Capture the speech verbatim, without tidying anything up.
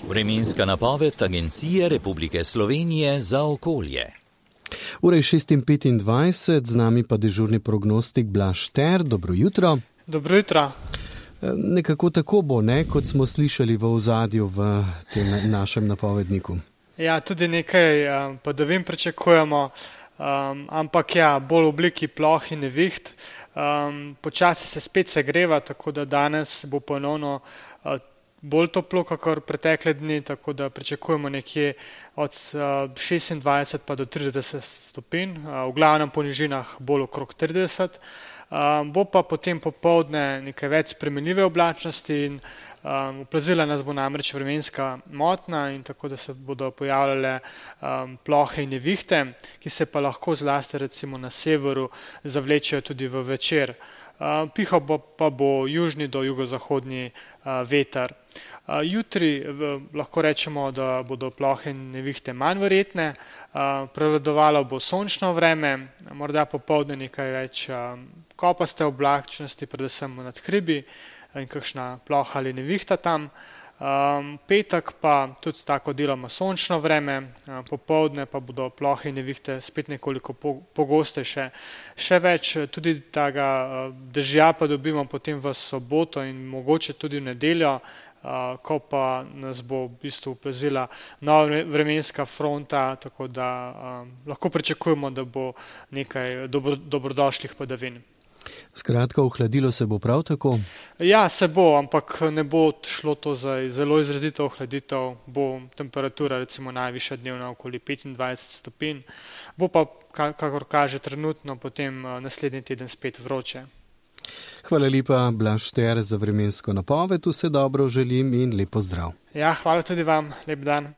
Vremenska napoved Agencije Republike Slovenije za okolje. Ura je šest petindvajset, z nami pa dežurni prognostik Blaž Šter. Dobro jutro. Dobro jutro. Nekako tako bo, ne, kot smo slišali v ozadju v tem našem napovedniku. Ja, tudi nekaj um, padavin pričakujemo, um, ampak ja, bolj v obliki ploh in neviht. Um, počasi se spet segreva, tako da danes bo ponovno uh, bolj toplo, kakor pretekle dni, tako da pričakujemo nekje od šestindvajset pa do trideset stopinj, v glavnem po nižinah bolj okrog trideset. Bo pa potem popoldne nekaj več spremenljive oblačnosti in oplazila nas bo namreč vremenska motnja in tako da se bodo pojavljale plohe in nevihte, ki se pa lahko zlasti recimo na severu zavlečejo tudi v večer. Pihal bo, pa bo južni do jugozahodni veter. Jutri lahko rečemo, da bodo plohe in nevihte manj verjetne, prevladovalo bo sončno vreme, morda popoldne nekaj več kopaste oblačnosti, predvsem nad hribi in kakšna ploha ali nevihta tam. Um, petek pa tudi tako deloma sončno vreme, uh, popoldne pa bodo plohe in nevihte spet nekoliko po, pogostejše. Še več tudi tega uh, dežja pa dobimo potem v soboto in mogoče tudi v nedeljo, uh, ko pa nas bo v bistvu oplazila nova vremenska fronta, tako da um, lahko pričakujemo, da bo nekaj dobro, dobrodošlih padavin. Skratka, ohladilo se bo prav tako? Ja, se bo, ampak ne bo šlo to za zelo izrazito ohladitev, bo temperatura recimo najvišja dnevna okoli petindvajset stopinj, bo pa, kakor kaže trenutno, potem naslednji teden spet vroče. Hvala lepa, Blaž Šter, za vremensko napoved, vse dobro želim in lep pozdrav. Ja, hvala tudi vam, lep dan.